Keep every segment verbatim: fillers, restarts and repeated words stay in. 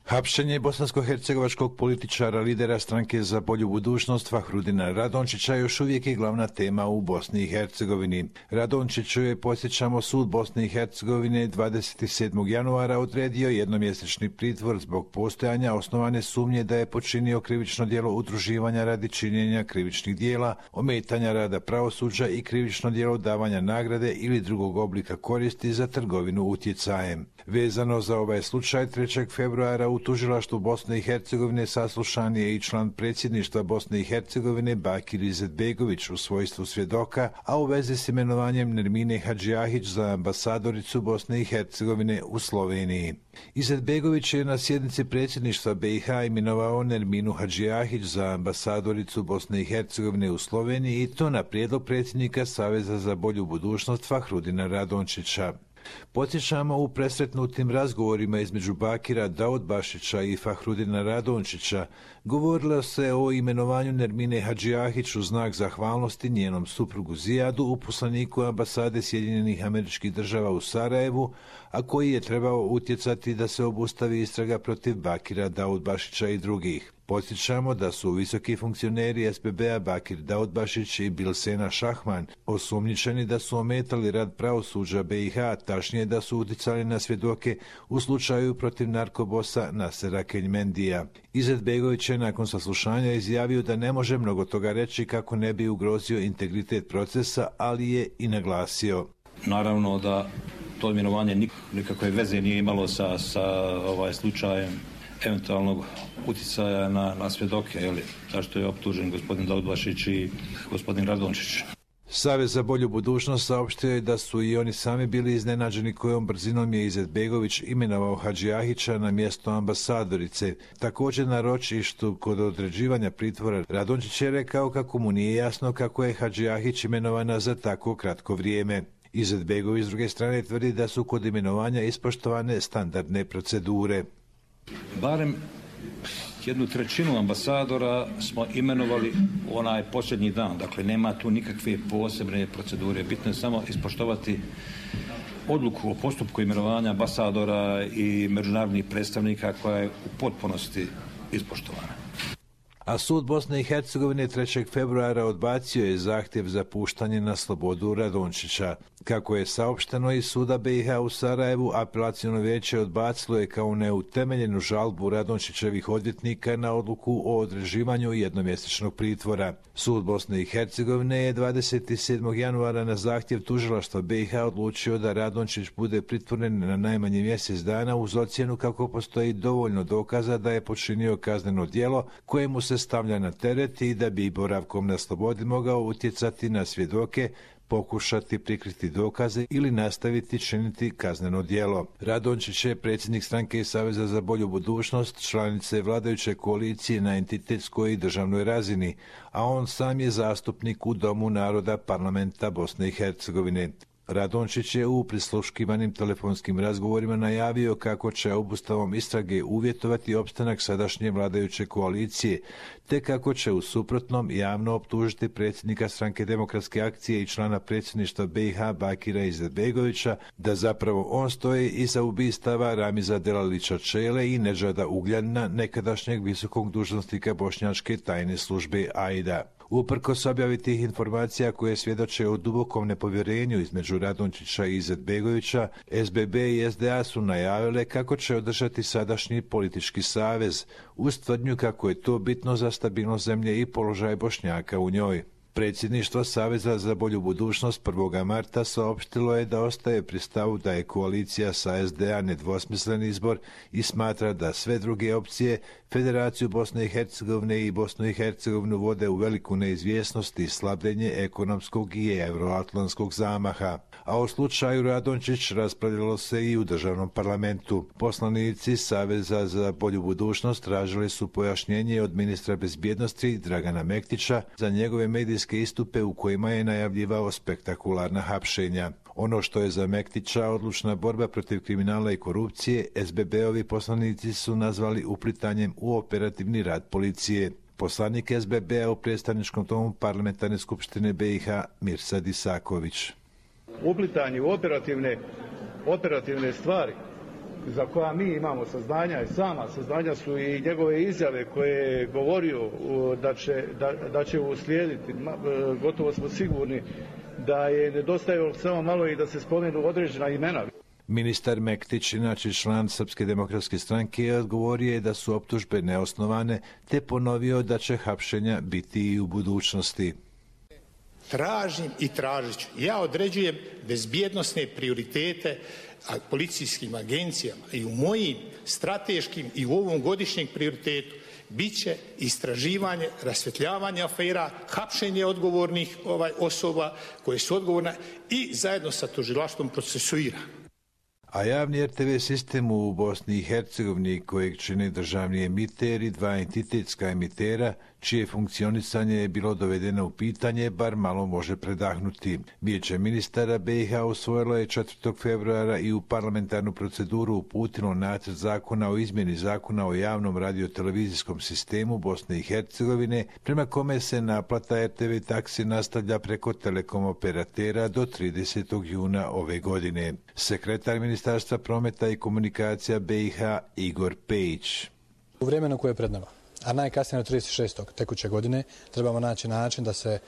Hapšenje bosansko-hercegovačkog političara, lidera stranke za bolju budućnost Fahrudina Radončića još uvijek je glavna tema u Bosni i Hercegovini. Radončiću je, podsjećamo, sud Bosne i Hercegovine dvadeset sedmog januara odredio jednomjesečni pritvor zbog postojanja osnovane sumnje da je počinio krivično djelo udruživanja radi činjenja krivičnih djela, ometanja rada pravosuđa i krivično djelo davanja nagrade ili drugog oblika koristi za trgovinu utjecajem. Vezano za ovaj slučaj, trećeg februara u tužilaštvu Bosne i Hercegovine saslušan je i član predsjedništva Bosne i Hercegovine Bakir Izetbegović u svojstvu svjedoka, a u vezi s imenovanjem Nermine Hadžijahić za ambasadoricu Bosne i Hercegovine u Sloveniji. Izetbegović je na sjednici predsjedništva B i H imenovao Nerminu Hadžijahić za ambasadoricu Bosne i Hercegovine u Sloveniji i to na prijedlog predsjednika Saveza za bolju budućnost Fahrudina Radončića. Podsjećamo, u presretnutim razgovorima između Bakira Daudbašića i Fahrudina Radončića govorilo se o imenovanju Nermine Hadžijahić u znak zahvalnosti njenom suprugu Zijadu, uposlaniku ambasade Sjedinjenih Američkih Država u Sarajevu, a koji je trebao utjecati da se obustavi istraga protiv Bakira Daudbašića i drugih. Podsjećamo da su visoki funkcioneri S B B-a Bakir Daudbašić i Bilsena Šahman osumnjičeni da su ometali rad pravosuđa B i H, tačnije da su utjecali na svjedoke u slučaju protiv narkobosa Nasera Keljmendija. Izetbegović je nakon saslušanja izjavio da ne može mnogo toga reći kako ne bi ugrozio integritet procesa, ali je i naglasio: naravno da to imenovanje nikakve veze nije imalo sa, sa ovaj slučajem eventualnog utjecaja na, na svjedoke, jeli, zašto je optužen gospodin Daudbašić i gospodin Radončić. Savez za bolju budućnost saopštio je da su i oni sami bili iznenađeni kojom brzinom je Izetbegović imenovao Hadžijahića na mjesto ambasadorice. Također na ročištu kod određivanja pritvora Radončić je rekao kako mu nije jasno kako je Hadžijahić imenovana za tako kratko vrijeme. Izetbegović s druge strane tvrdi da su kod imenovanja ispoštovane standardne procedure. Barem jednu trećinu ambasadora smo imenovali onaj posljednji dan, dakle nema tu nikakve posebne procedure, bitno je samo ispoštovati odluku o postupku imenovanja ambasadora i međunarodnih predstavnika koja je u potpunosti ispoštovana. A sud Bosne i Hercegovine trećeg februara odbacio je zahtjev za puštanje na slobodu Radončića. Kako je saopšteno iz suda B i H u Sarajevu, apelaciono vijeće odbacilo je kao neutemeljenu žalbu Radončićevih odvjetnika na odluku o određivanju jednomjesečnog pritvora. Sud Bosne i Hercegovine je dvadeset sedmog januara na zahtjev tužilaštva B i H odlučio da Radončić bude pritvoren na najmanje mjesec dana uz ocjenu kako postoji dovoljno dokaza da je počinio kazneno djelo koje mu se stavlja na teret i da bi boravkom na slobodi mogao utjecati na svjedoke, pokušati prikriti dokaze ili nastaviti činiti kazneno djelo. Radončić je predsjednik stranke Saveza za bolju budućnost, članice vladajuće koalicije na entitetskoj i državnoj razini, a on sam je zastupnik u Domu naroda Parlamenta Bosne i Hercegovine. Radončić je u prisluškivanim telefonskim razgovorima najavio kako će obustavom istrage uvjetovati opstanak sadašnje vladajuće koalicije, te kako će u suprotnom javno optužiti predsjednika Stranke demokratske akcije i člana predsjedništva B i H Bakira Izetbegovića da zapravo on stoji iza ubistava Ramiza Delalića Čele i Nedžada Ugljanina, nekadašnjeg visokog dužnosnika bošnjačke tajne službe A I D A. Uprkos objavi tih informacija koje svjedoče o dubokom nepovjerenju između Radončića i Izetbegovića, S B B i S D A su najavile kako će održati sadašnji politički savez, uz tvrdnju kako je to bitno za stabilnost zemlje i položaj Bošnjaka u njoj. Predsjedništvo Saveza za bolju budućnost prvog marta saopštilo je da ostaje pri stavu da je koalicija sa S D A nedvosmislen izbor i smatra da sve druge opcije Federaciju Bosne i Hercegovine i Bosnu i Hercegovinu vode u veliku neizvjesnost i slabljenje ekonomskog i euroatlantskog zamaha. A o slučaju Radončić raspravljalo se i u državnom parlamentu. Poslanici Saveza za bolju budućnost tražili su pojašnjenje od ministra bezbjednosti Dragana Mektića za njegove medijske istupe u kojima je najavljivao spektakularna hapšenja. Ono što je za Mektića odlučna borba protiv kriminala i korupcije, S B B-ovi poslanici su nazvali uplitanjem u operativni rad policije. Poslanik S B B-a u predstavničkom domu parlamentarne skupštine B i H Mirsad Isaković. Uplitanje u operativne, operativne stvari za koja mi imamo saznanja i sama saznanja su i njegove izjave koje je govorio da će, da, da će uslijediti. Gotovo smo sigurni da je nedostajalo samo malo i da se spomenu određena imena. Ministar Mektić, inače član Srpske demokratske stranke, odgovorio je da su optužbe neosnovane, te ponovio da će hapšenja biti i u budućnosti. Tražim i tražit ću. Ja određujem bezbjednosne prioritete policijskim agencijama i u mojim strateškim i u ovom godišnjem prioritetu bit će istraživanje, rasvjetljavanje afera, hapšenje odgovornih ovaj, osoba koje su odgovorne i zajedno sa tužilaštvom procesuira. A javni er te ve sistem u Bosni i Hercegovini, kojeg čine državni emiter i dva entitetska emitera, čije funkcionisanje je bilo dovedeno u pitanje, bar malo može predahnuti. Vijeće ministara be i ha usvojilo je četvrtog februara i u parlamentarnu proceduru uputilo nacrt zakona o izmjeni zakona o javnom radiotelevizijskom sistemu Bosne i Hercegovine, prema kome se naplata er te ve taksi nastavlja preko telekom operatera do tridesetog juna ove godine. Sekretar Ministarstva prometa i komunikacija be i ha Igor Pejić. U vremenu koje je pred nama, a najkasnije do trideset šestog tekuće godine, trebamo naći način da se e,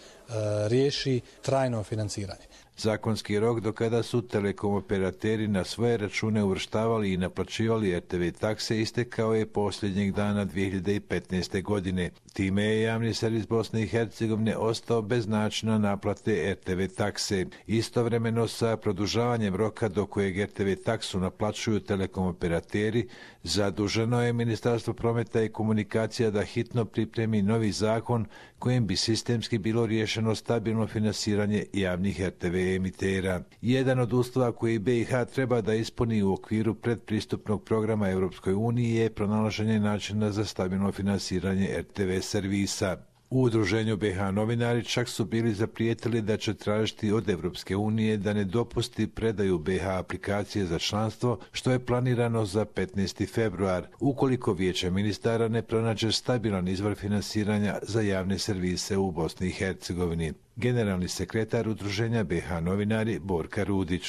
riješi trajno financiranje. Zakonski rok do kada su telekom operateri na svoje račune uvrštavali i naplaćivali er te ve takse istekao je posljednjeg dana dvije hiljade petnaeste. godine. Time je javni servis Bosne i Hercegovine ostao bez načina naplate er te ve takse. Istovremeno sa produžavanjem roka do kojeg er te ve taksu naplaćuju telekom operateri, zaduženo je Ministarstvo prometa i komunikacija da hitno pripremi novi zakon kojim bi sistemski bilo riješeno stabilno finansiranje javnih er te ve emitera. Jedan od uslova koji be i ha treba da ispuni u okviru predpristupnog programa Europskoj uniji je pronalaženje načina za stabilno finansiranje er te ve servisa. U udruženju be ha novinari čak su bili zaprijetili da će tražiti od Evropske unije da ne dopusti predaju be ha aplikacije za članstvo, što je planirano za petnaesti februar, ukoliko Vijeće ministara ne pronađe stabilan izvor finansiranja za javne servise u Bosni i Hercegovini. Generalni sekretar udruženja be ha novinari Borka Rudić.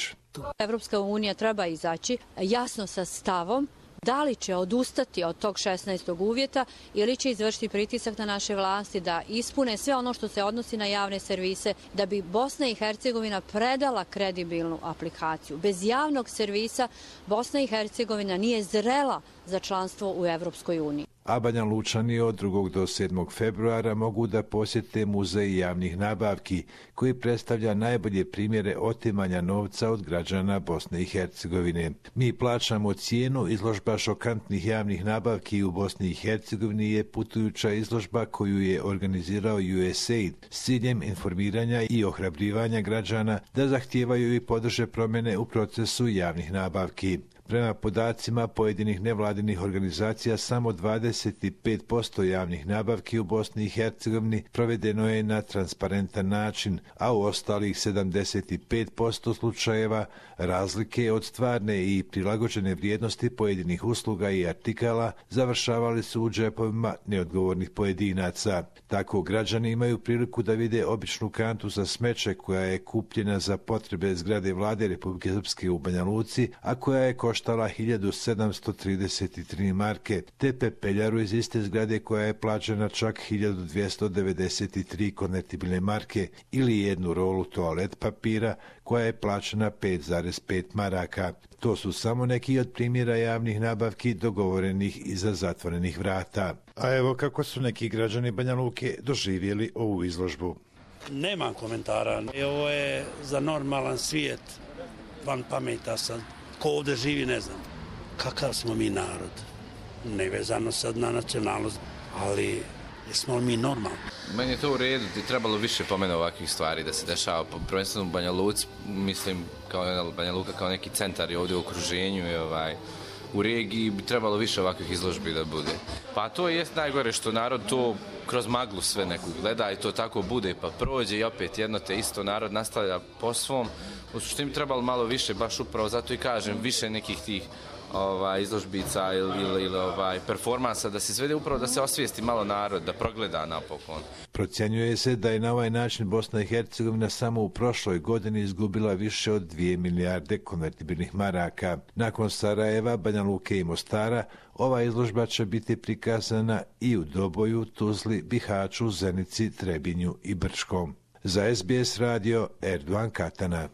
Evropska unija treba izaći jasno sa stavom da li će odustati od tog šesnaestog uvjeta ili će izvršiti pritisak na naše vlasti da ispune sve ono što se odnosi na javne servise, da bi Bosna i Hercegovina predala kredibilnu aplikaciju. Bez javnog servisa Bosna i Hercegovina nije zrela za članstvo u Evropskoj uniji. A Banja Lučani od drugog do sedmog februara mogu da posjete muzej javnih nabavki, koji predstavlja najbolje primjere otimanja novca od građana Bosne i Hercegovine. Mi plaćamo cijenu. Izložba šokantnih javnih nabavki u Bosni i Hercegovini je putujuća izložba koju je organizirao U S A I D s ciljem informiranja i ohrabrivanja građana da zahtijevaju i podrže promjene u procesu javnih nabavki. Prema podacima pojedinih nevladinih organizacija, samo dvadeset pet posto javnih nabavki u Bosni i Hercegovini provedeno je na transparentan način, a u ostalih sedamdeset pet posto slučajeva razlike od stvarne i prilagođene vrijednosti pojedinih usluga i artikala završavali su u džepovima neodgovornih pojedinaca. Tako građani imaju priliku da vide običnu kantu za smeće koja je kupljena za potrebe zgrade vlade Republike Srpske u Banja Luci, a koja je koštala hiljadu sedamsto trideset tri marke, te pepeljaru iz iste zgrade koja je plaćena čak hiljadu dvjesto devedeset tri konvertibilne marke ili jednu rolu toalet papira koja je plaćena pet zarez pet maraka. To su samo neki od primjera javnih nabavki dogovorenih iza zatvorenih vrata. A evo kako su neki građani Banja Luke doživjeli ovu izložbu. Nemam komentara. Ovo je za normalan svijet. Van pameta sad. Ko ovdje živi, ne znam. Kakav smo mi narod? Nevezano sad na nacionalnost, ali jesmo li mi normalni? Meni je to u redu, ti trebalo više pomena ovakvih stvari da se dešava. Prvenstveno u Banja Luci, mislim, kao Banja Luka kao neki centar je ovdje u okruženju i ovaj, u regiji bi trebalo više ovakvih izložbi da bude. Pa to je najgore što narod to kroz maglu sve neku gleda i to tako bude pa prođe i opet jedno te isto narod nastavlja po svom. U suštini trebalo malo više, baš upravo zato i kažem, više nekih tih ovaj, izložbica ili, ili, ili ovaj, performansa, da se izvede upravo da se osvijesti malo narod, da progleda napokon. Procjenjuje se da je na ovaj način Bosna i Hercegovina samo u prošloj godini izgubila više od dvije milijarde konvertibilnih maraka. Nakon Sarajeva, Banja Luke i Mostara, ova izložba će biti prikazana i u Doboju, Tuzli, Bihaću, Zenici, Trebinju i Brčkom. Za S B S radio, Erdogan Katana.